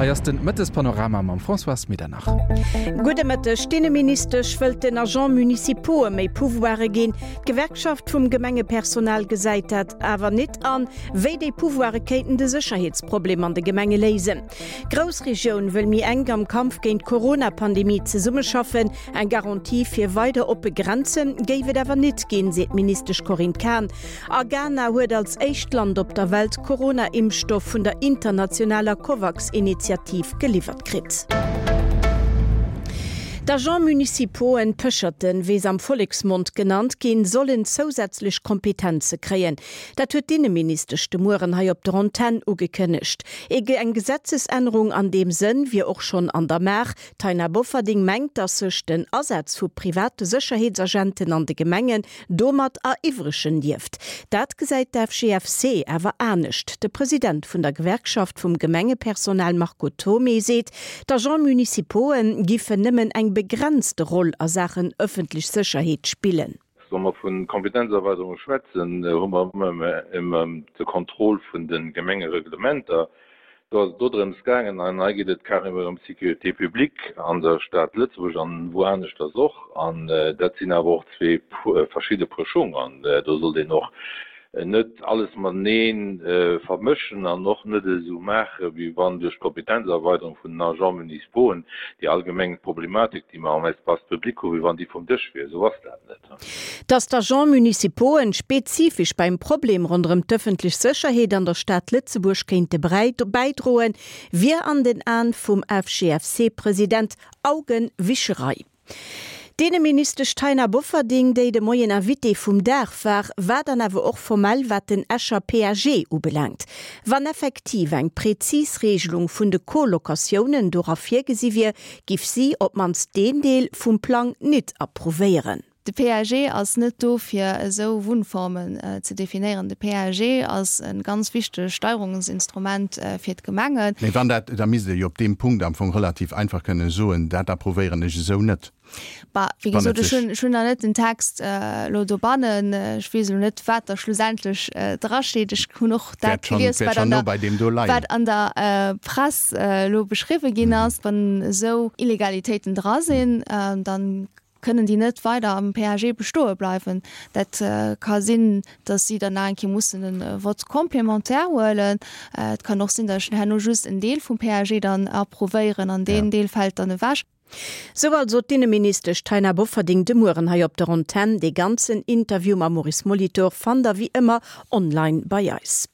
Hei ass den Mëttespanorama mam Françoise Medernach. Gudde Mëtteg. D'Inneministesch wëllt den Agents municipaux'e méi Pouvoire ginn. D'Gewerkschaft vum Gemengepersonal gesäit dat awer nit an. Wéi déi Pouvoire kéinten de Sécherheetsproblem an de Gemenge léisen. D'Groussregioun wëll méi enk am Kampf géint d'Corona-Pandemie zesummeschaffen. Eng Garantie fir weider oppe Grenze géif et awer nit ginn, seet d'Ministesch Corinne Cahen. A Ghana huet als éischt Land op der Welt Corona-Impfstoff vun der internationaler Covax-Initiativ geliwwert kritt. D'Agents municipauxen, Pécherten, wéi se am Volleksmond genannt ginn, sollen zousätzlech Kompetenze kréien. Dat huet d'Inneministesch de Mueren hei op der Antenn ugekënnegt. Eng Gesetzesännerung an deem Sënn wier och schonn an der Maach. D'Taina Bofferding mengt, datt sech den Asaz vu private Sécherheetsagenten an de Gemengen domat eriwwregen dierft. Dat gesäit d'FGFC awer anescht. De President vun der Gewerkschaft vum Gemengepersonal Marco Thomé seet, d'Agents municipauxen giffen nëmmen eng begrenzte Roll a Saachen ëffentlech Sécherheet spillen. Wa mer vu Kompetenzerweiderung schwätzen, hu mer ëmmer ëm de Contrôle vun de Gemengereglementer. Do ass et do drëms gaangen, an hei geet et carrément ëm d'Sécurité publique an der Stad Lëtzebuerg an wou aneschters och. An dat sinn awer och zwee verschidde Puer Schung. An do sollt een och net alles matenee vermëschen an och net esou maachen, wéi wann duerch d'Kompetenzerweiderung vun den Agents municipauxen déi allgemeng Problematik, déi mer am Espace public hu, wéi wann déi vum Dësch wier. Esou ass dat net. Datt d'Agents municipauxen spezifesch beim Problem ronderëm d'ëffentlech Sécherheet an der Stad Lëtzebuerg kéinte bäidroen, wier an den Aen vum FGFC-President Augenwischerei. D'Inneministesch Taina Bofferding, déi de Moien Invitée vum Dag war, war dann awer och formell wat den Escher PAG ubelaangt. Wann effektiv eng prezis Regelung vun de Co-Locatiounen dora virgesi wier, giff si op d'mannst deen Deel vum Plang nit approuvéieren. De PAG ass net do fir esou Wunnformen ze definéieren. De PAG ass e ganz wichtegt Steierungsinstrument fir d'Gemengen. Mee wann dat, da misst Der jo op deem Punkt am Fong relativ einfach kënnen soen, dat approuvéieren ech esou net. Bah, wéi gesot, ech hunn, ech hunn nach net den Text elo dobannen. Ech weess elo net, wat da schlussendlech drasteet. Ech hunn och dat gelies, wat an der, wat an der Press elo beschriwwe ginn ass. Wann esou Illegalitéiten dra sinn, dann kënnen déi net weider am PAG bestoe bleiwen. Dat ka sinn, datt si dann nach eng Kéier mussen e Vote complémentaire huelen. Et kann och sinn, datt ech herno just en Deel vum PAG dann approuvéieren an deen Deel fält dann ewech. Sou also d'Inneministesch Taina Bofferding de Mueren hei op der Antenn. Dee ganzen Interview mam Maurice Molitor fannt der wéi ëmmer online bei eis.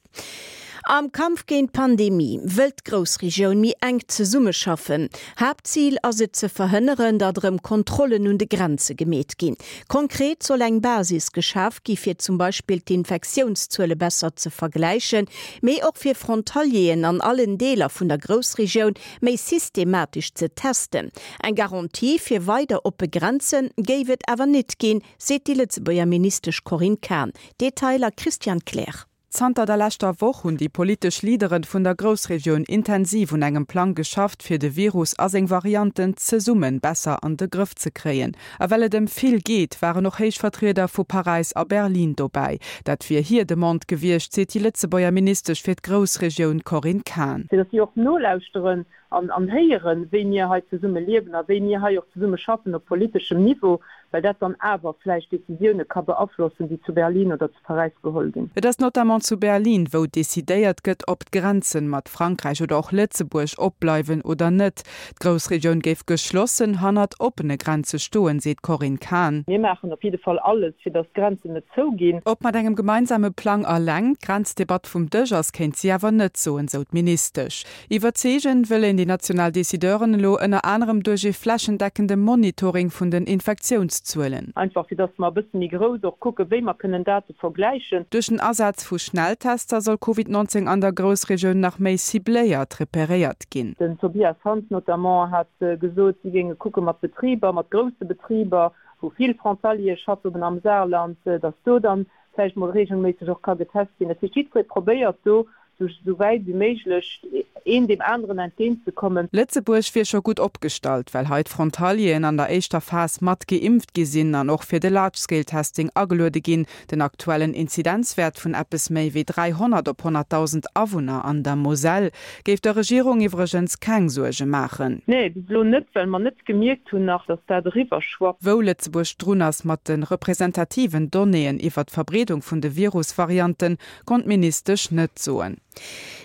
Am Kampf géint d'Pandemie wëllt d'Groussregioun méi enk zesummeschaffen. Haaptzil ass et ze verhënneren, datt erëm Kontrollen un de Grenze gemeet ginn. Konkret soll eng Basis geschaf gi fir zum Beispill d'Infektiounszuele besser ze vergläichen, mee och fir Frontalieren an allen Deeler vun der Groussregioun méi systematesch ze testen. Eng Garantie fir weider oppe Grenze géif et awer nit ginn, seet déi Lëtzebuerger Ministesch Corinne Cahen. Detailer Christian Kleer. Zanter der leschter Woch hunn déi politesch Leaderen vun der Groussregioun intensiv un engem Plang geschafft, fir de Virus a seng Varianten zesummen besser an de Grëff ze kréien. A well et ëm vill geet, waren och héich Vertrieder vu Paräis a Berlin dobäi. Dat wier hir Demande gewiescht, seet déi Lëtzebuerger Ministesch fir d'Groussregioun Corinne Cahen. Fir datt si och nolauschteren an héieren, wéi mir hei zesumme liewen a wéi mir hei och zesumme schaffen op politeschem Niveau, well dat dann awer vläicht Décisioune ka beaflossen, déi zu Berlin oder zu Paräis geholl ginn. Et ass notamment zu Berlin, wou decidéiert gëtt, ob d'Grenzen mat Frankräich oder och Lëtzebuerg opbleiwen oder net. D'Groussregioun géif geschlossen hannert oppene Grenze stoen, seet d'Corinne Cahen. Mir maachen op jidde Fall alles, fir datt d'Grenzen net zouginn. Ob mat engem gemeinsame Plang eleng d'Grenzdebatt vum Dësch ass, kéint si awer net soen, sou d'Ministesch. Iwwerzeegen wëll een déi national Decideuren elo ënner anerem duerch ee flächendeckende Monitoring vun den Infektiounszuelen. Einfach fir dass mer e bësse méi grouss och kucken, wéi mer kënnen Date vergläichen. Duerch den Asaz vu Schnelltester soll Covid 19 an der Groussregioun nach méi cibléiert reperéiert ginn. Den Tobias Hans notamment hat gesot, si géinge kucke mat Betriber, mat grousse Betriber, wou vill Frontaliere schaffen am Saarland, dass do dann vläicht mol reegelméisseg och ka getest ginn. Dat heescht, jiddweree probéiert do sou wäit wéi méiglech. Een deem aneren entgéint ze kommen. Lëtzebuerg wier scho gutt opgestallt, well hei d'Frontalieren an der éischter Phas mat geimpft gi sinn an och fir de Large-Scale-Testing ageluede ginn. Den aktuellen Inzidenzwäert vun eppes méi wéi 300 op 100.000 Awunner an der Moselle géif der Regierung iwwregens keng Suerge maachen. Nee, bis elo net, well mer net gemierkt hunn nach, datt dat eriwwer schwappt. Wou Lëtzebuerg drun ass mat de representativen Donnéeën iwwer d'Verbreedung vun de Virus-Varianten, konnt d'Ministesch net soen.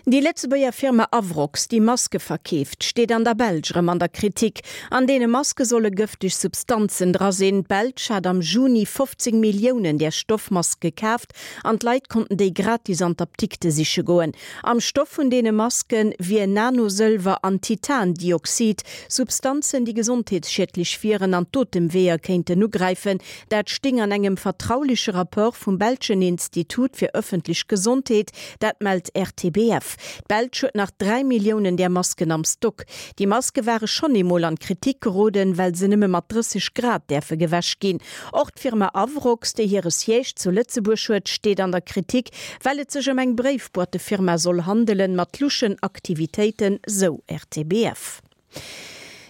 Déi Lëtzebuerger Firma Avrox, déi Maske verkeeft, steet an der Belsch erëm an der Kritik. An deene Maske solle gëfteg Substanzen dra sinn. D'Belsch hat am Juni 15 Milliounen där Stoffmaske kaaft an d'Leit konnten déi gratis an d'Apdikte siche goen. Am Stoff vun deene Maske wier Nanosëlwer an Titandioxid, Substanzen, déi gesondheetsschiedlech wieren an d'Otemweeër kéinten ugräifen. Dat sting an engem vertrauleche Rapport vum belschen Institut fir ëffentlech Gesondheet. Dat mellt RTBF. D'Belsch huet nach 3 Milliounen där Masken am Stock. Déi Maske ware schonn eemol an d'Kritik geroden, well se nëmme mat 30 Grad däerfe gewäsch ginn. Och d'Firma Avrox, déi hire Siège zu Lëtzebuerg huet, steet an der Kritik, well et sech ëm eng Bréifboîtefirma soll handelen, mat luschen Aktivitéiten, sou RTBF.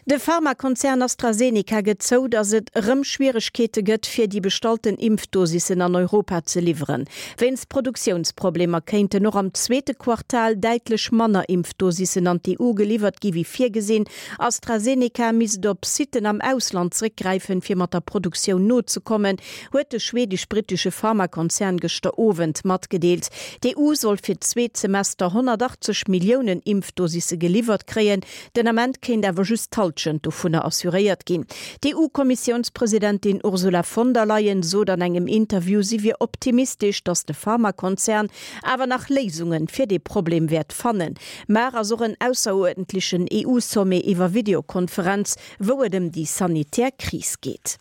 De Pharmakonzern AstraZeneca gëtt zou, datt et erëm Schwieregkeete gëtt, fir déi bestallten Impfdosissen an Europa ze liwweren. Wéinst Produktiounsproblemer kéinten och am zweete Quartal däitlech manner Impfdosissen an d'EU geliwwert gi wéi virgesinn. AstraZeneca misst op Sitten am Ausland zeréckgräifen, fir mat der Produktioun nozekommen, huet de schwedesch-brittesche Pharmakonzern gëschter Owend matgedeelt. D'EU soll fir d'zweet Semester 180 Milliounen Impfdosisse geliwwert kréien. Den Ament kéint awer just d'Hallschent dovunner assuréiert ginn. D'EU-Kommissiounspresidentin Ursula von der Leyen sot an engem Interview, si wier optimistesch, datt de Pharmakonzern awer nach Léisunge fir dee Problem wäert fannen. Mar ass och en ausseruerdentlechen EU-Sommet iwwer Videokonferenz, wou et ëm déi sanitär Kris geet.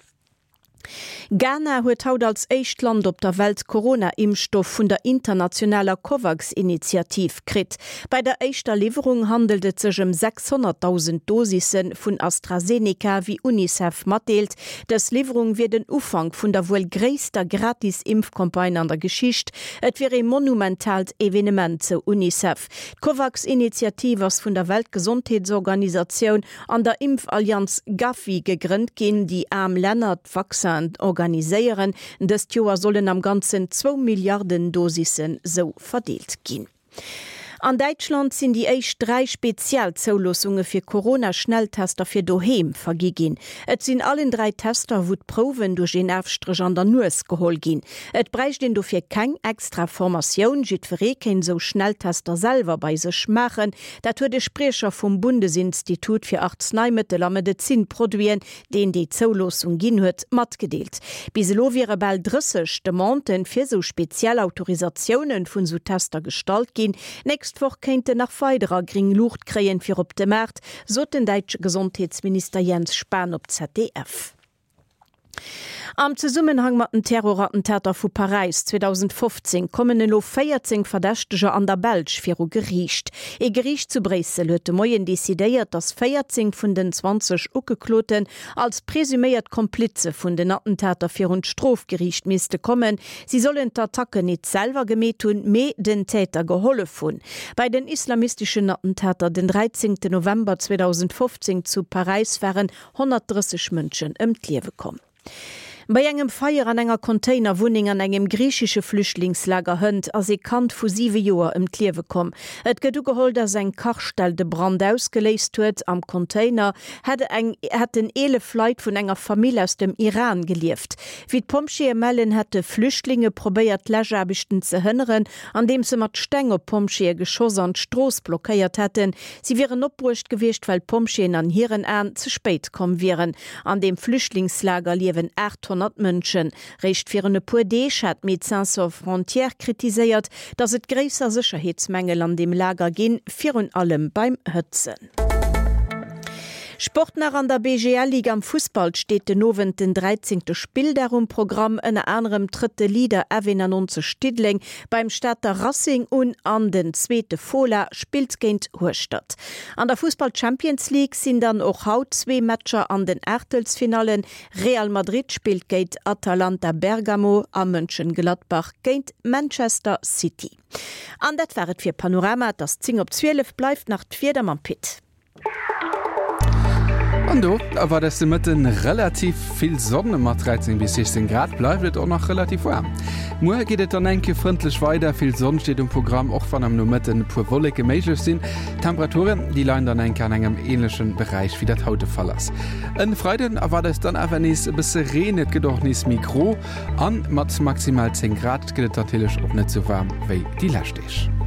Ghana huet haut als éischt Land op der Welt Corona-Impfstoff vun der internationaler Covax-Initiativ kritt. Bei der éischter Liwwerung handelt et sech ëm 600.000 Dosisse vun AstraZeneca, wéi Unicef matdeelt. Dës Liwwerung wier den Ufank vun der wuel gréisster Gratis-Impfcampagne an der Geschicht. Et wier ee monumentaalt Evenement, sou Unicef. D'Covax-Initiativ ass vun der Weltgesondheetsorganisatioun an der Impfallianz Gavi gegrënnt ginn, déi aarm Länner d'Vaccinen organiséieren. Dëst Joer sollen am Ganzen zwou Milliarden Dosissen sou verdeelt ginn. An Däitschland sinn déi éischt 3 Spezialzouloossunge fir Corona-Schnelltester fir doheem vergi ginn. Et sinn allen 3 Tester, wou d'Prouwen duerch een Afstréch an der Nues geholl ginn. Et bräicht een dofir keng extra Formatioun, jiddweree kéint esou Schnelltester selwer bei sech maachen. Dat huet e Spriecher vum Bundesinstitut fir Arzneimittel a Medezinproduiten, deen déi Zouloossung ginn huet, matgedeelt. Bis elo wiere bal 30 Demanden fir sou speziell Autorisatioune vun sou Tester gestallt ginn. D'nächst Woch kéinten nach weiderer gréng Luucht kréien fir op de Maart, sot den däitsche Gesondheetsminister Jens Spahn op ZDF. Am Zesummenhang mat den Terrorattentater vu Paräis 2015 kommen elo 14 Verdächteger an der Belsch viru Geriicht. Ee Geriicht zu Bréissel huet de Moien decidéiert, datt 14 vun den 20 Ugekloten als presuméiert Komplize vun den Attentater virun d'Strofgeriicht misste kommen. Si sollen d'Attacken nit selwer gemeet hunn, mee den Täter gehollef hunn. Bei den islamisteschen Attentater den 13 November 2015 zu Paräis waren 130 Mënschen ëm d'Liewe komm. Bei engem Feier an enger Containerwunneng an engem griichesche Flüchtlingslager hënt ass ee Kand vu 7 Joer ëm d'Liewe komm. Et gëtt ugeholl, datt eng Kachstell de Brand ausgeléist huet. Am Container hätt eng hätten 11 Leit vun enger Famill aus dem Iran gelieft. Wéi d'Pompjeeë mellen, hätte Flüchtlinge probéiert d'Läschaarbechten ze hënneren, andeems se mat Steng op d'Pompjeeë geschoss an d'Strooss blockéiert hätten. Si wieren opbruecht gewiescht, well d'Pompjeeën an hiren Aen ze spéit komm wieren. An deem Flüchtlingslager liewen 800 Mënschen. Réischt virun e puer Deeg hat Médecins Sans Frontières kritiséiert, datt et gréisser Sécherheetsmängel an deem Lager ginn, virun allem beim Hëtzen. Sport nach An der BGL-Ligue am Fussball steet den Owend den 13. Spilldag um Programm. Ënner anerem trëtt de Leader F91 Diddeleng beim Stater Racing un an den zweete Fola spillt géint Hueschtert. An der Fussball-Champions League sinn dann och haut zwee Matcher an den Aachtelsfinallen. Real Madrid spillt géint Atalanta Bergamo a Mönchengladbach géint Manchester City. An dat war et fir Panorama. Et ass 10 op 12, bleift nach d'Wieder mam Pit. An do erwaart eis de Mëtten relativ vill Sonn. Mat 13 bis 16 Grad bleift et och nach relativ waarm. Muer geet et dann eng Kéier frëndlech weider, vill Sonn steet um Programm, och wann am Nomëtten e puer Wolleke méiglech sinn. D'Temperaturen, déi leien dann eng Kéier an engem änleche Beräich wéi dat haut de Fall ass. En Freiden erwaart eis dann awer nees e bësse Reen, et gëtt och nees méi gro an mat maximal 10 Grad gëtt et natierlech och net sou waarm wéi déi lescht Deeg.